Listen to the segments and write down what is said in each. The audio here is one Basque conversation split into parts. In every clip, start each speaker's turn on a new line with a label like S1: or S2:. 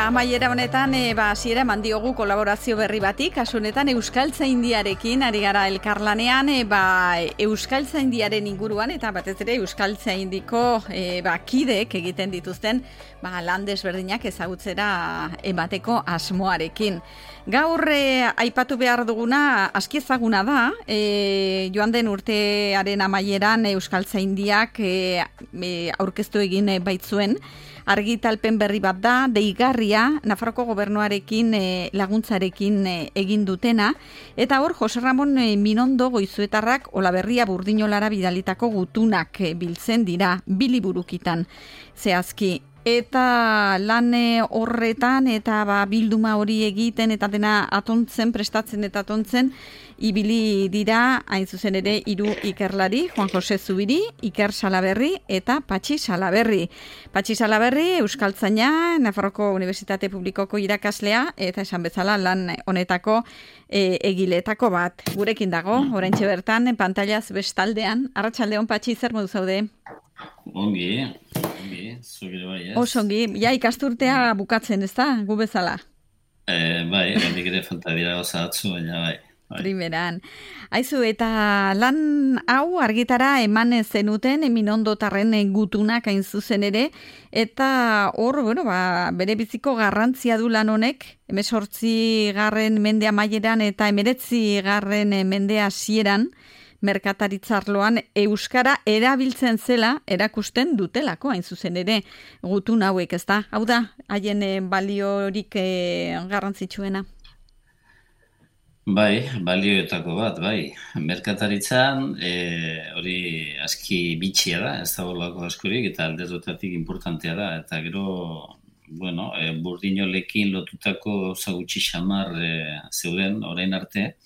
S1: amaiera honetan hasiera eman diogu kolaborazio berri bati, kasu honetan Euskaltzaindiarekin ari gara elkarlanean, Euskaltzaindiaren inguruan eta batez ere Euskaltzaindiko kideek egiten dituzten lan desberdinak ezagutzera emateko asmoarekin. Gaur aipatu behar duguna aski ezaguna da, joan den urtearen amaieran Euskaltzaindiak aurkeztu egin baitzuen argitalpen berri bat da, deigarria, Nafarroko gobernuarekin laguntzarekin egin dutena, eta hor Jose Ramon Minondo Goizuetarrak Olaberria Burdinolara bidalitako gutunak biltzen dira, 2 liburukitan zehazki. Eta lan horretan eta bilduma hori egiten eta dena prestatzen eta atontzen, ibili dira hain zuzen ere 3 ikerlari, Juan Jose Zubiri, Iker Salaberri eta Patxi Salaberri. Patxi Salaberri, Euskaltzaina, Nafarroko Unibertsitate Publikoko irakaslea eta esan bezala lan honetako egileetako bat. Gurekin dago, oraintxe bertan, pantailaz bestaldean. Arratsaldeon, Patxi, zer modu zaude?
S2: Ongi, zugire bai, ez?
S1: Oso ongi, ikasturtea bukatzen, ez da, gu bezala?
S2: Bai, hendik ere falta dira gauza batzu, baina bai.
S1: Primeran. Aizu, eta lan hau argitara eman zenuten Minondotarren gutunak hain zuzen ere, eta hor, bere biziko garrantzia du lan honek, 18. mende amaieran eta 19. mende hasieran, merkataritzarloan euskara erabiltzen zela erakusten dutelako hain zuzen ere gutun hauek, ez da? Hau da, haien baliorik garrantzitsuena?
S2: Bai, balioetako bat, bai. Merkataritzan hori aski bitxia da, ez da bolako askorik, eta alderdutatik importantea da, eta gero, burdinolekin lotutako zagutxi xamar zeuden orain arte,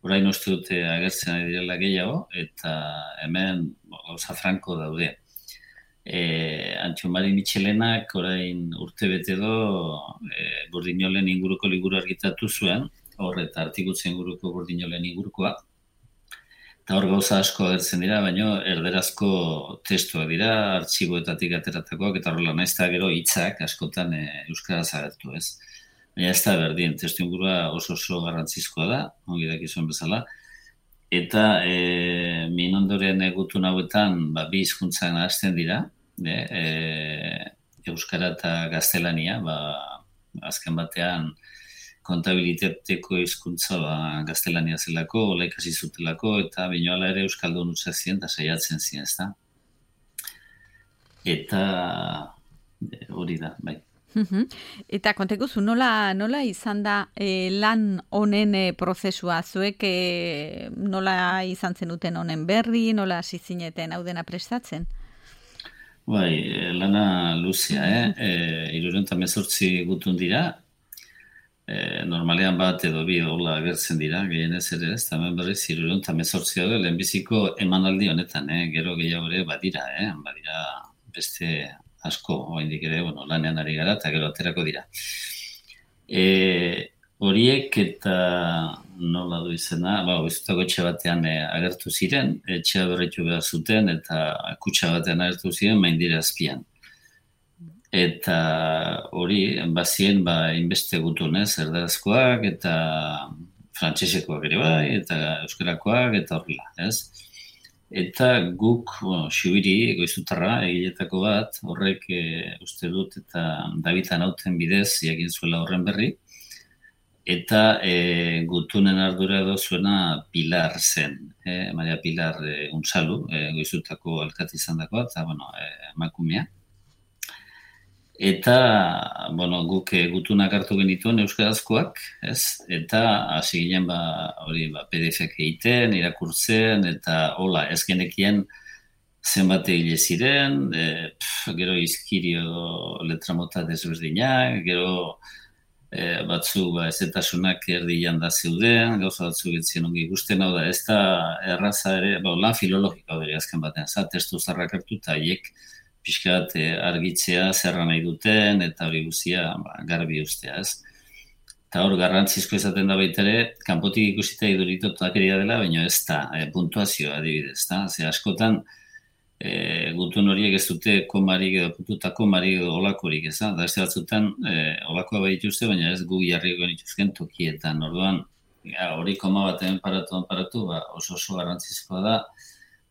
S2: orain uste dute agertzen ari direla gehiago, eta hemen gauza franko daude. Antxo Mari Mitxelenak orain urte bete do Burdinolen inguruko liburu argitatu zuen, eta artikutzen inguruko Burdinolen ingurukoa. Eta hor gauza asko agertzen dira, baina erderazko testuak dira, artxiboetatik ateratakoak, eta horrela naiz eta gero hitzak askotan euskaraz agertu, ez? Baina ez da berdin, testu ingurua oso garrantzizkoa da, ongi dakizuen bezala. Eta Minondoren gutun hauetan 2 hizkuntzan hasten dira, euskara eta gaztelania, azken batean kontabilitateko hizkuntza gaztelania zelako, hola ikasi zutelako, eta binoala ere euskaldun utza ziren, eta saiatzen ziren, ez da? Eta hori da, bai.
S1: Eta konteguzu, nola izan da lan honen prozesua? Zuek nola izan zenuten honen berri, nola hasi zineten hau dena prestatzen?
S2: Bai, lana luzea, 318 gutun dira, normalean bat edo 2 hola agertzen dira, gehienez ere ez, eta hemen berriz 318 daude lehenbiziko emanaldi honetan, gero gehiago ere badira beste asko, oraindik ere, lanean ari gara, eta gero aterako dira. Horiek eta nola du izena, goizutako etxe batean agertu ziren, etxea berritu behar zuten, eta kutxa batean agertu ziren, maindire azpian. Eta hori, bazien, inbeste gutunez, erdarazkoak, eta frantsesekoak ere bai, eta euskarakoak, eta horrela, ez? Eta guk, Xubiri, Goizutarra, egiletako bat, horrek uste dut eta David Anauten bidez egin zuela horren berri, eta gutunen ardura edo zuena Pilar zen, Maria Pilar Unzalu, Goizutako alkate izan dakoa, eta emakumea. Eta, guk gutunak hartu genituen euskarazkoak, ez? Eta hasi ginen PDF-ek egiten, irakurtzen, eta hola, ez genekien zenbat egile ziren, gero izkirio letramota desberdinak, gero batzu ezetasunak erdian da zeuden, gauza batzu getzien ongi ikusten, hau da, ez da erraza ere, lan filologika hori azken batean, testu zarrak hartu eta haiek pixkat argitzea zerra nahi duten, eta hori guztia garbi ustea, ez? Eta hor, garrantzizko izaten da baita ere, kanpotik ikusita iduritotakeria dela, baina ez da, puntuazioa adibidez, da? Ze askotan, gutun horiek ez dute komarik edo pututa komarik edo olakorik, ez da? Da ez batzutan olakoa baituzte, baina ez gu jarriko nituzken tokietan. Orduan, hori koma batean paratu, oso garrantzizkoa da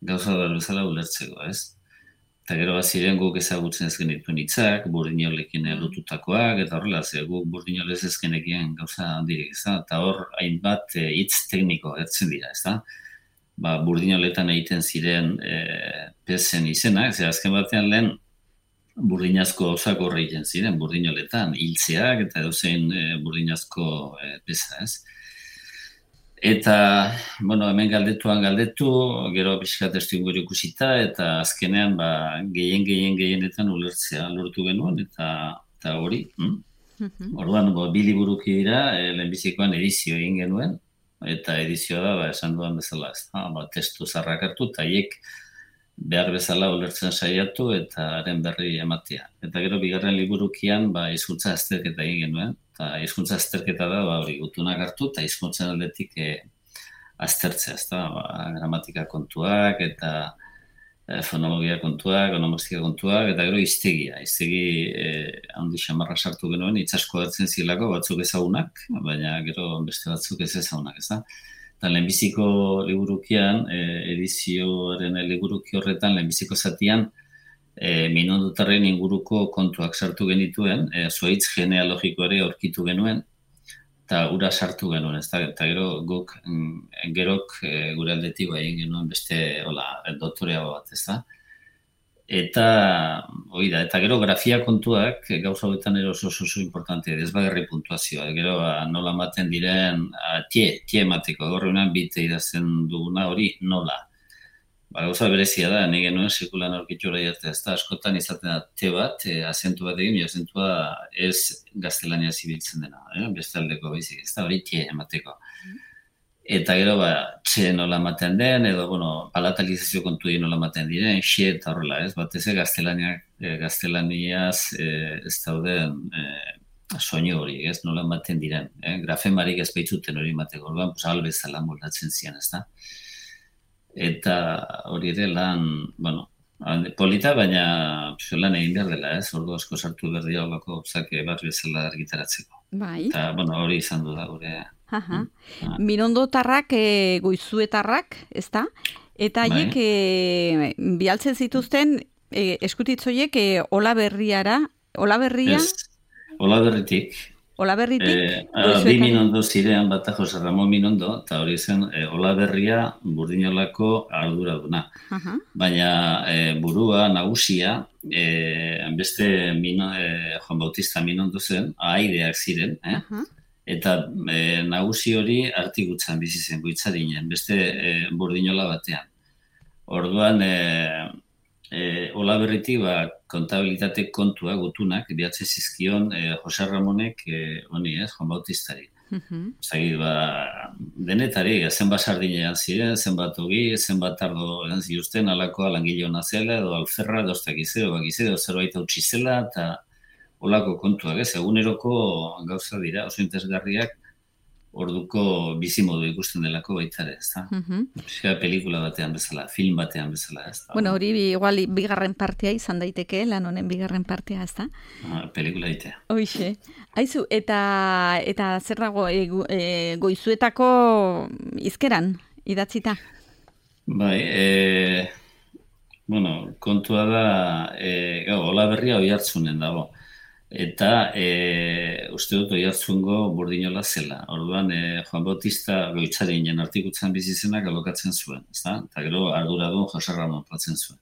S2: gauza bezala ulertzeko, ez? Eta gero baziren guk ezagutzen ez genituen hitzak, burdinolekin lotutakoak, eta horrela, guk burdinolez ez genekien gauza handirik, ez da? Eta hor, hainbat hitz tekniko ertzen dira, ez da? Burdinoletan egiten ziren pezen izenak, azken batean lehen burdinazko osak horre egiten ziren, burdinoletan, hiltzeak eta edozein burdinazko peza, ez? Eta, hemen galdetu, gero pixkat testu inguru ikusita, eta azkenean gehienetan ulertzea lortu genuen, eta hori. Orduan, bi liburuki dira, lehenbizikoan edizio egin genuen, eta edizioa da, esan duan bezala, ez da, testu zarrak hartu, eta haiek behar bezala ulertzen saiatu, eta haren berri ematea. Eta gero, bigarren liburukian, hizkuntza azterketa egin genuen, eta hizkuntza azterketa da, hori gutunak hartu, eta hizkuntzen aldetik aztertzea, ez da, gramatika kontuak, eta fonologia kontuak, onomastika kontuak, eta gero hiztegi handi xamarra sartu genuen, itzasko hartzen zilako batzuk ezagunak, baina gero beste batzuk ez ezagunak, ez da. Eta lehenbiziko liburukian, edizioaren liburuki horretan, lehenbiziko zatian, minondotarren inguruko kontuak sartu genituen, zuaitz genealogikoare aurkitu genuen, eta ura sartu genuen, ez da, eta gero guk gerok gure aldetik egin genuen beste doktorea bat, ez da. Eta gero grafia kontuak gauza hauetan oso importante, desbagarri puntuazioa, gero nola ematen diren, tie emateko, gorreunan bite idazten duguna hori nola. Gauza berezia da, nahi genuen sekulan aurkitu hori arte, ez da, askotan izaten da te bat, azentu bat egin, azentua ez gaztelania zibiltzen dena, beste aldeko baizik, ez da, hori tie emateko. Eta gero, txe nola ematen den, edo, palatalizazio kontu nola ematen diren, xe eta horrela, ez, batez gaztelaniaz ez dauden soinu hori, ez, nola ematen diren, grafemarik ez baitzuten hori emateko, albezala moldatzen zian, ez da. Eta hori ere lan, polita, baina lan egin behar dela, ez? Ordu asko sartu behar dira olako zake bat bezala argitaratzeko.
S1: Bai.
S2: Eta, hori izan du da gure.
S1: Minondotarrak, goizuetarrak, ez da? Eta haiek bialtzen zituzten eskutitzoiek Olaberria?
S2: Olaberritik. Bi Minondo zirean bat Jose Ramon Minondo, eta hori zen Olaberria burdinolako arduraduna. Baina burua, nagusia, beste Juan Bautista Minondo zen, ahaideak ziren, eta nagusi hori artigutzan bizi zen, goitzarinen, beste burdinola batean. Orduan, Olaberritik kontabilitate kontua gutunak bihatze zizkion Jose Ramonek Juan Bautistari. Zagit, denetari, zenbat sardinean ziren, zenbat ogi, zenbat ardo ziuzten, alakoa langile hona zela, edo alferra, edo bakizero, zerbait hautsi zela, eta olako kontuak, eguneroko gauza dira, oso interesgarriak, orduko bizimodu ikusten delako baitare, ez da? Pelikula batean bezala, film batean bezala, ez da?
S1: Hori igual bigarren partea izan daiteke, lan honen bigarren partea, ez da?
S2: Pelikula itea.
S1: Hoixe. Aizu, eta zer dago, goizuetako izkeran, idatzita?
S2: Bai, kontua da, Olaberria Oiartzunen dago. Eta uste dut Oiartzungo burdinola zela. Orduan, Juan Bautista goitzarinen artikutzan bizizenak alokatzen zuen, ezta? Eta gero arduradun Jose Ramon platzen zuen.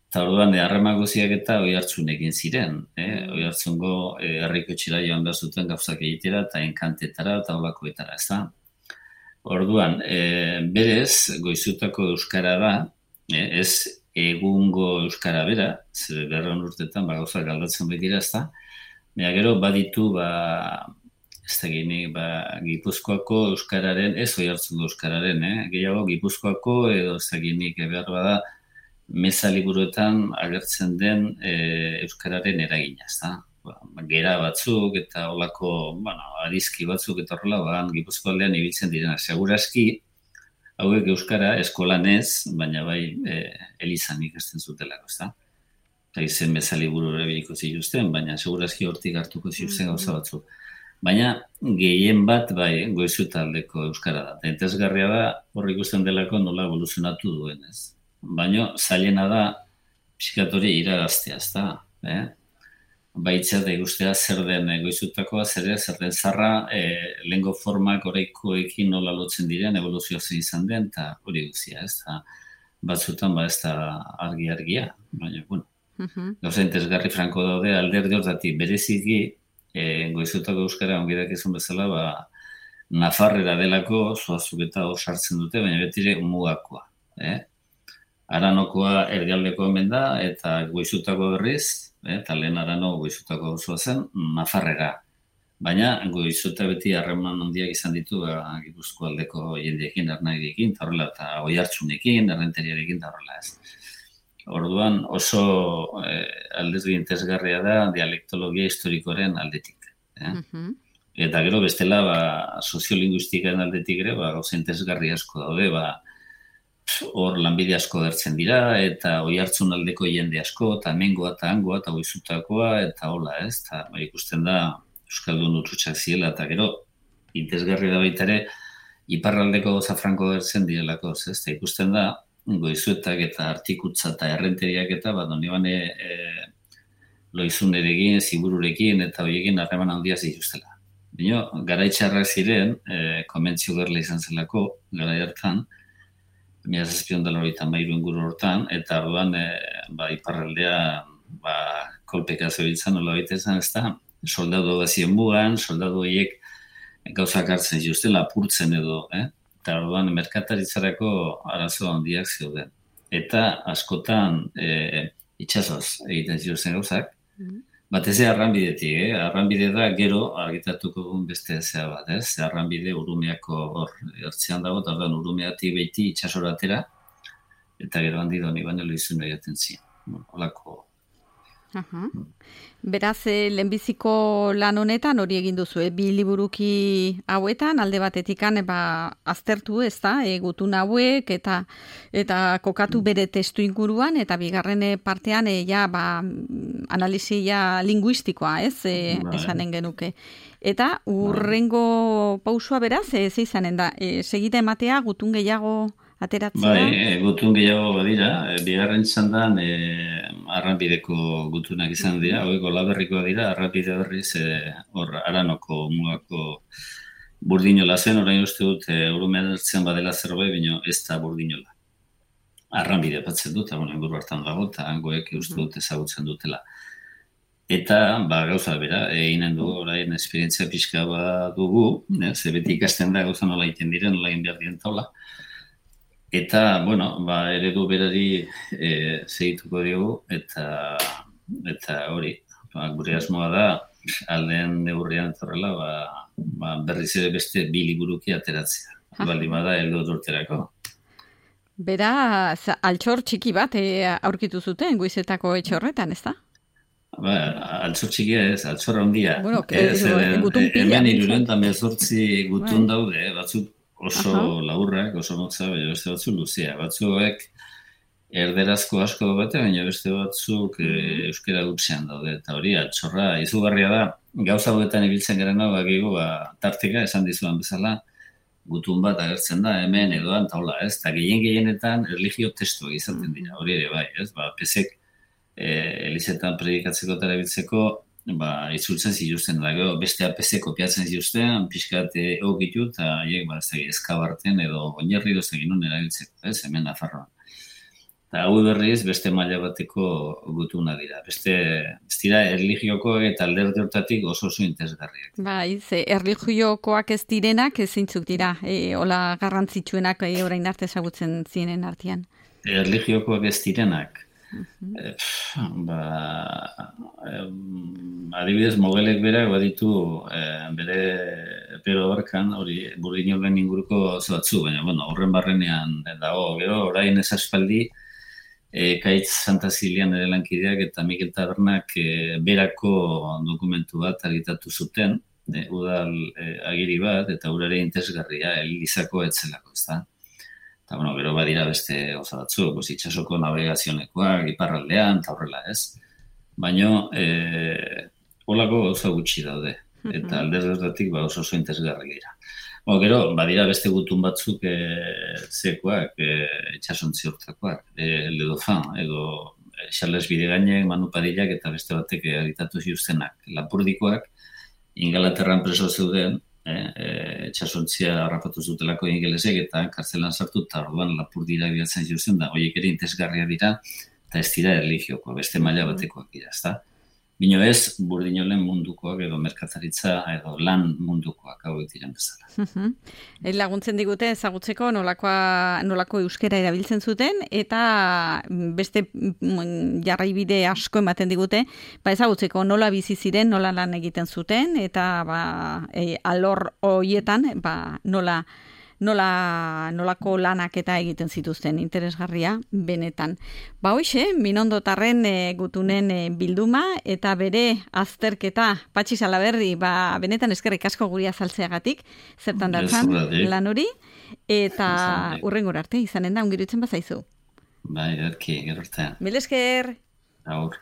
S2: Eta orduan, harreman guziak eta Oiartzunekin ziren. Oiartzungo herriko txira joan behar zuten gauzak egitera eta enkantetara eta olakoetara, ezta? Orduan, berez, goizutako euskara da, ez egungo euskara bera, zer berron urtetan, gauzak galdatzen baitira, ez da. Baina gero baditu, ez da ginik, Gipuzkoako euskararen, ez Oiartzungo euskararen, gehiago Gipuzkoako, edo ez da ginik, behar bada, meza liburuetan agertzen den euskararen eragina, ez da. Gera batzuk eta olako, adizki batzuk eta horrela, Gipuzko aldean ibiltzen direna. Seguraski, hauek euskara eskolan ez, baina bai elizan ikasten zutelako, ezta? Eta izen bezali buru erabiliko zituzten, baina segurazki hortik hartuko zituzten gauza batzuk. Baina gehien bat bai Goizuetaldeko euskara da. Eta interesgarria da hor ikusten delako nola evoluzionatu duen, ez? Baina zailena da pixkatori iragaztea, ezta? Baitzea da ikustea zer den Goizuetakoa, zer den zarra, lehengo formak oraikoekin nola lotzen diren, evoluzioa zein izan den, eta hori guztia, ez da, batzutan ez da argia, baina, bueno, gauza interesgarri franko daude, alderdi hortatik bereziki, Goizuetako euskara ongidak izan bezala, Nafarrera delako, zoazuk eta hor sartzen dute, baina betire mugakoa, Aranokoa erdialdeko hemen da, eta Goizuetako berriz, eta lehen Arano Goizuetako osoa zen, Nafarrera. Baina Goizueta beti harreman handiak izan ditu Gipuzkoa aldeko jendiekin, Ernagiekin, eta horrela, eta Oiartzunekin, Errenteriarekin, eta horrela ez. Orduan oso aldezgi interesgarria da dialektologia historikoaren aldetik. Eta gero bestela soziolinguistikaren aldetik ere, gauza interesgarri asko daude, hor lanbide asko dertzen dira, eta Oiartzun aldeko jende asko, eta hemengoa eta hangoa, eta Goizutakoa, eta hola, ez? Eta ikusten da Euskaldun utxutsak ziela, eta gero interesgarri da baita ere, iparraldeko gauza franko dertzen direlako, ez? Eta ikusten da, Goizuetak eta Artikutza eta Errenteriak eta donibane Loizunerekin, Zibururekin, eta horiekin harreman handia zituztela. Bino, garaitxarrak ziren, konbentzio gerla izan zelako, garai hartan, 1793 inguru hortan, eta orduan iparraldea kolpeka zebiltzan nola baitezen, ez da, soldadu bazien mugan, soldadu horiek gauzak hartzen zituzten, lapurtzen edo, eta orduan merkataritzarako arazo handiak zeuden. Eta askotan itxasoz egiten zituzten gauzak, batez arranbidetik, arranbide da gero argitatuko dugun beste zea bat, ez? Arranbide Urumeako hor ertzean dago, eta orduan Urumeatik beti itxasoratera, eta gero handi doni baino Loizun egiten ziren. Holako.
S1: Beraz, lehenbiziko lan honetan hori egin duzu, bi liburuki hauetan, alde batetikan aztertu, ez da, gutun hauek, eta kokatu bere testu inguruan, eta bigarren partean analizia linguistikoa, ez, esanen genuke. Eta urrengo pausua beraz, ez izanen da, segite ematea, gutun gehiago ateratzea?
S2: Gutun gehiago badira, bigarren txandan arranbideko gutunak izan dira, haueko laberrikoa dira, arranbide berriz hor Aranoko mugako burdinola zen, orain uste dut Urumean ertzen badela zerbait, baina ez da burdinola. Arranbide batzen dut, inguru hartan dago, eta hangoek uste dut ezagutzen dutela. Eta, gauza bera, eginen dugu, orain esperientzia pixka dugu, ze beti ikasten da gauza nola egiten diren, nola egin behar diren taula. Eta, eredu berari segituko diogu, eta hori, gure asmoa da, aldeen neurrian etorrela, berriz ere beste bi liburuki ateratzea. Baldin bada, heldu urterako.
S1: Beraz, altxor txiki bat aurkitu zuten Goizuetako etxe horretan, ez da?
S2: Altxor txikia ez, altxor handia.
S1: Gutun pila.
S2: Hemen 318 gutun daude, batzuk oso laburrak, oso motza, baina beste batzuk luzea. Batzuek erderazko asko bate, baina beste batzuk euskera gutxean daude. Eta hori, altxorra, izugarria da, gauza hauetan ibiltzen garen hau, tarteka esan dizuan bezala, gutun bat agertzen da, hemen edoan, eta hola, ez? Eta gehienetan erlijio testuak izaten dira, hori ere bai, ez? Pesek elizetan predikatzeko eta erabiltzeko, itzultzen zituzten da, beste apese kopiatzen zituzten, pixkat egokitu, eta eskabarten edo oinarri dozegin nun erabiltzeko, ez, hemen Nafarroan. Eta hau berriz, beste maila bateko gutuna dira. Beste, ez dira, erlijiokoak eta alderdi hortatik oso interesgarriak.
S1: Erlijiokoak ez direnak, zintzuk dira, hola garrantzitsuenak orain arte ezagutzen ziren artean.
S2: Erlijiokoak ez direnak. Adibidez, Mogelek berak baditu bere pero barkan, hori Burdinolen inguruko batzu, baina horren barrenean dago, gero orain ez aspaldi Kaitz Santa Zilian ere lankideak eta Mikel Tabernak berako dokumentu bat argitatu zuten, udal agiri bat, eta urare interesgarria, elizako etzelako, ez da? Eta, bueno, gero badira beste gauza batzuk, itxasoko navegazionekoak, iparraldean, eta horrela ez. Baina, holako gauza gutxi daude. Eta aldez gertatik oso interesgarri dira. Gero, badira beste gutun batzuk zekoak, itxasontzi hortakoak, Le Dauphin, edo Charles Bidegainek, Manu Padillak eta beste batek editatu ziuztenak. Lapurdikoak, Ingalaterran preso zeuden, itxasontzia harrapatu zutelako ingelesek eta kartzelan sartu, eta orduan Lapurdira bilatzen ziuzten da, horiek ere interesgarria dira, eta ez dira erlijioko, beste maila batekoak dira, ezta? Bino ez, Burdinolen mundukoak edo merkataritza edo lan mundukoak hauek diren bezala.
S1: Laguntzen digute ezagutzeko nolako euskera erabiltzen zuten eta beste jarraibide asko ematen digute, ezagutzeko nola bizi ziren, nola lan egiten zuten eta alor horietan nolako lanak eta egiten zituzten, interesgarria benetan. Hoxe, Minondotarren gutunen bilduma eta bere azterketa Patxi Salaberri, benetan eskerrik asko guri azaltzeagatik, zertan datzan lan hori, eta hurrengora arte izanen da, ongirutzen bazaizu.
S2: Bai, gero artean.
S1: Mil esker!
S2: Aur.